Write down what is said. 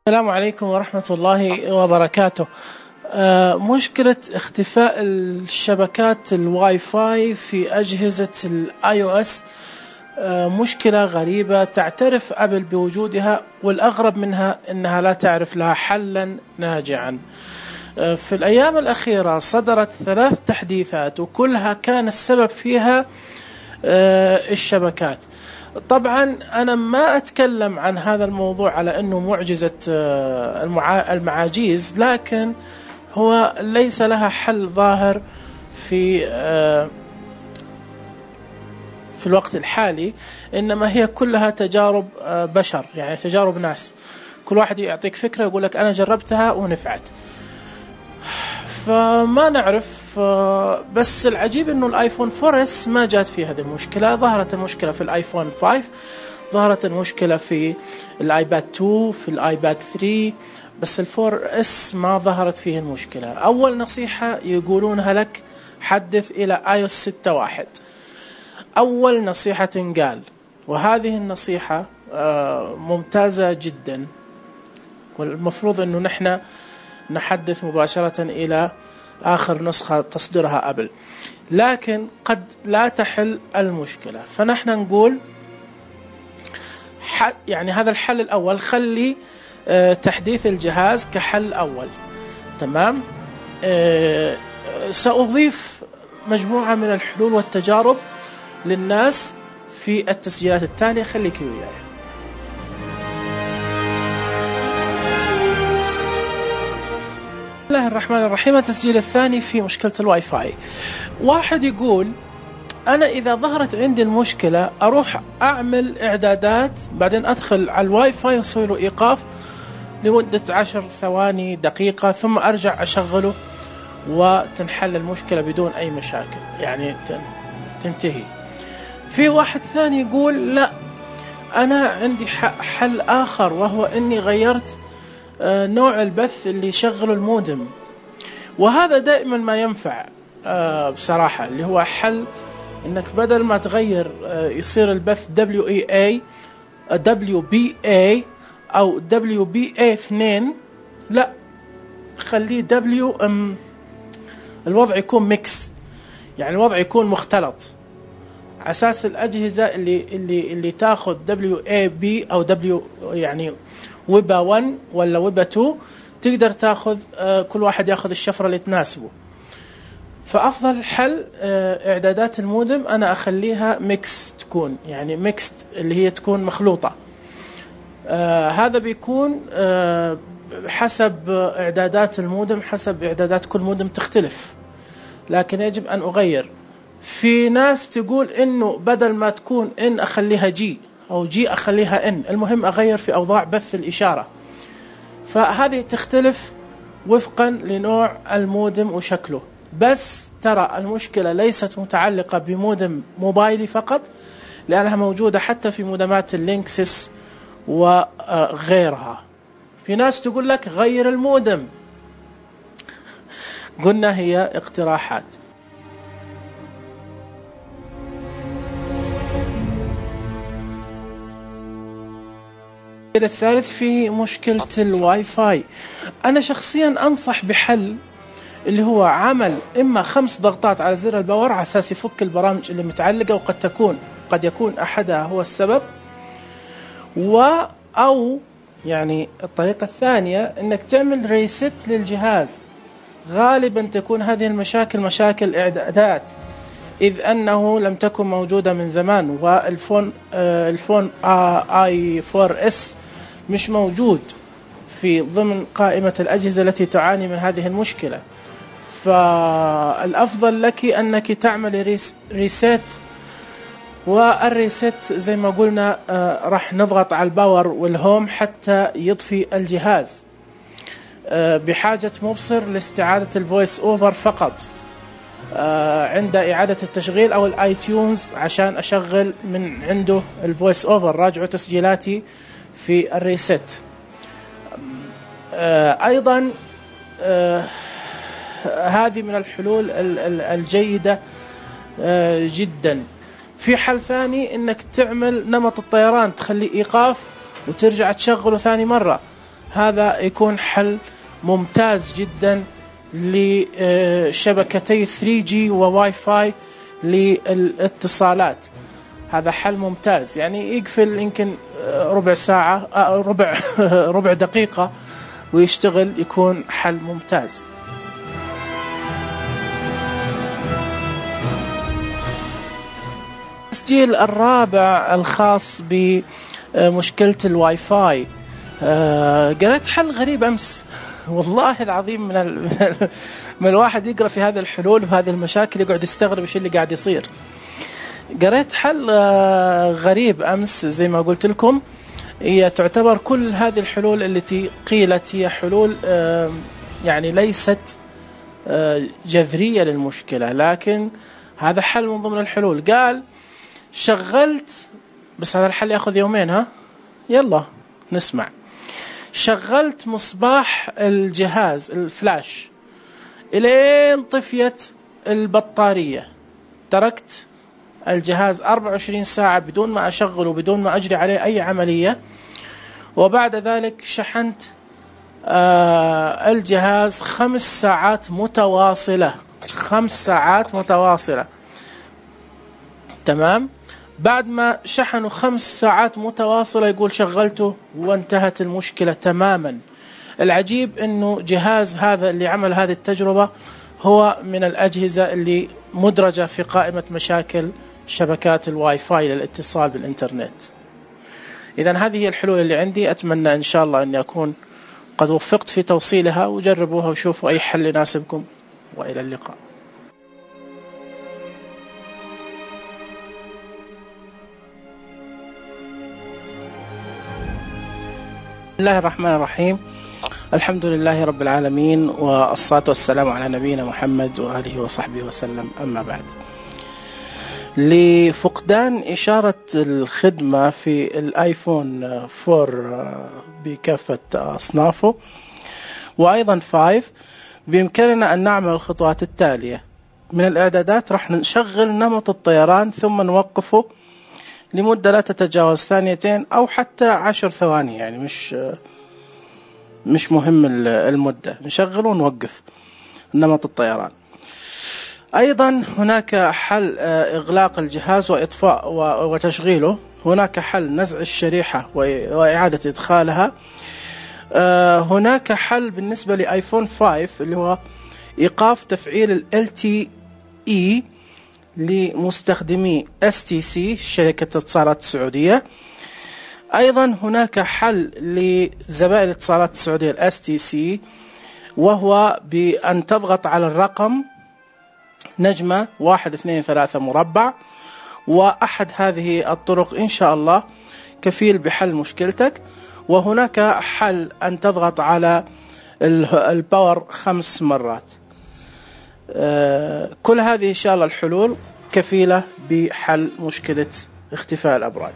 السلام عليكم ورحمة الله وبركاته. مشكلة اختفاء الشبكات الواي فاي في أجهزة الاي او اس مشكلة غريبة تعترف أبل بوجودها، والأغرب منها أنها لا تعرف لها حلا ناجعا. في الأيام الأخيرة صدرت 3 تحديثات وكلها كان السبب فيها الشبكات. طبعا أنا ما أتكلم عن هذا الموضوع على أنه معجزة المعاجيز، لكن هو ليس لها حل ظاهر في الوقت الحالي، إنما هي كلها تجارب بشر، يعني تجارب ناس. كل واحد يعطيك فكرة يقول لك أنا جربتها ونفعت، فما نعرف. بس العجيب انه الايفون 4S ما جات فيه هذه المشكلة. ظهرت المشكلة في الايفون 5، ظهرت المشكلة في الايباد 2، في الايباد 3، بس ال 4S ما ظهرت فيه المشكلة. اول نصيحة يقولونها لك حدث الى iOS 6.1، اول نصيحة تنقال، وهذه النصيحة ممتازة جدا، والمفروض انه نحن نحدث مباشرة إلى آخر نسخة تصدرها أبل، لكن قد لا تحل المشكلة. فنحن نقول يعني هذا الحل الأول، خلي تحديث الجهاز كحل أول. تمام. سأضيف مجموعة من الحلول والتجارب للناس في التسجيلات التالية، خليك وياي. بسم الله الرحمن الرحيم. التسجيل الثاني في مشكلة الواي فاي. واحد يقول أنا إذا ظهرت عندي المشكلة أروح أعمل إعدادات، بعدين أدخل على الواي فاي وأسوي له إيقاف لمدة 10 ثواني دقيقة، ثم أرجع أشغله وتنحل المشكلة بدون أي مشاكل، يعني تنتهي. في واحد ثاني يقول لا، أنا عندي حل آخر، وهو أني غيرت نوع البث اللي يشغله المودم، وهذا دائما ما ينفع بصراحة، اللي هو حل انك بدل ما تغير يصير البث WBA او WBA2، لا خليه الوضع يكون ميكس، يعني الوضع يكون مختلط، على اساس الاجهزة اللي تاخذ WAB او يعني ويبا 1 ولا ويبا 2 تقدر تاخذ، كل واحد ياخذ الشفرة اللي تناسبه. فأفضل حل إعدادات المودم أنا أخليها ميكس، تكون يعني ميكست، اللي هي تكون مخلوطة. هذا بيكون حسب إعدادات المودم، حسب إعدادات كل مودم تختلف، لكن يجب أن أغير. في ناس تقول إنه بدل ما تكون إن أخليها جي، أو جي أخليها إن، المهم أغير في أوضاع بث الإشارة. فهذه تختلف وفقا لنوع المودم وشكله. بس ترى المشكلة ليست متعلقة بمودم موبايلي فقط، لأنها موجودة حتى في مودمات اللينكسس وغيرها. في ناس تقول لك غير المودم، قلنا هي اقتراحات. الثالث في مشكلة الواي فاي. أنا شخصيا أنصح بحل اللي هو عمل إما 5 ضغطات على زر الباور على أساس يفك البرامج اللي متعلقة، وقد يكون أحدها هو السبب، أو يعني الطريقة الثانية إنك تعمل ريست للجهاز. غالبا تكون هذه المشاكل مشاكل إعدادات، إذ أنه لم تكن موجودة من زمان، والفون اي 4S مش موجود في ضمن قائمة الأجهزة التي تعاني من هذه المشكلة. فالأفضل لك أنك تعمل ريسيت، والريسيت زي ما قلنا راح نضغط على الباور والهوم حتى يطفي الجهاز، بحاجة مبصر لاستعادة الفويس اوفر فقط عند إعادة التشغيل، أو الاي تيونز عشان أشغل من عنده الفويس اوفر. راجعوا تسجيلاتي في الريسيت. أيضا هذه من الحلول الجيدة جدا. في حل ثاني انك تعمل نمط الطيران، تخلي ايقاف وترجع تشغله ثاني مرة. هذا يكون حل ممتاز جدا لشبكتي 3G وواي فاي للاتصالات. هذا حل ممتاز، يعني يقفل يمكن ربع ساعة ربع دقيقة ويشتغل، يكون حل ممتاز. التسجيل الرابع الخاص بمشكلة الواي فاي. قرأت حل غريب أمس والله العظيم، من الواحد يقرأ في هذه الحلول وهذه المشاكل يقعد يستغرب ايش اللي قاعد يصير. قرأت حل غريب أمس زي ما قلت لكم، هي تعتبر كل هذه الحلول التي قيلت هي حلول يعني ليست جذرية للمشكلة، لكن هذا حل من ضمن الحلول. قال شغلت، بس هذا الحل يأخذ يومين، ها يلا نسمع. شغلت مصباح الجهاز الفلاش إلين طفيت البطارية، تركت الجهاز 24 ساعة بدون ما أشغل وبدون ما أجري عليه أي عملية، وبعد ذلك شحنت الجهاز 5 ساعات متواصلة، 5 ساعات متواصلة. تمام. بعد ما شحنوا 5 ساعات متواصلة يقول شغلته وانتهت المشكلة تماما. العجيب انه جهاز هذا اللي عمل هذه التجربة هو من الأجهزة اللي مدرجة في قائمة مشاكل شبكات الواي فاي للاتصال بالإنترنت. إذن هذه هي الحلول اللي عندي، أتمنى إن شاء الله أني أكون قد وفقت في توصيلها، وجربوها وشوفوا أي حل يناسبكم، وإلى اللقاء. بسم الله الرحمن الرحيم. الحمد لله رب العالمين، والصلاة والسلام على نبينا محمد وآله وصحبه وسلم. أما بعد، لفقدان إشارة الخدمة في الآيفون 4 بكافة أصنافه وأيضا 5، بإمكاننا أن نعمل الخطوات التالية. من الإعدادات راح نشغل نمط الطيران ثم نوقفه لمدة لا تتجاوز 2 أو حتى 10 ثواني، يعني مش مهم المدة، نشغل ونوقف نمط الطيران. أيضا هناك حل إغلاق الجهاز وإطفاء وتشغيله. هناك حل نزع الشريحة وإعادة إدخالها. هناك حل بالنسبة لآيفون 5 اللي هو إيقاف تفعيل ال LTE لمستخدمي STC شركة الاتصالات السعودية. أيضا هناك حل لزبائن الاتصالات السعودية ال STC، وهو بأن تضغط على الرقم نجمة 123 مربع، وأحد هذه الطرق إن شاء الله كفيل بحل مشكلتك. وهناك حل أن تضغط على الباور 5 مرات. كل هذه إن شاء الله الحلول كفيلة بحل مشكلة اختفاء الأبراج.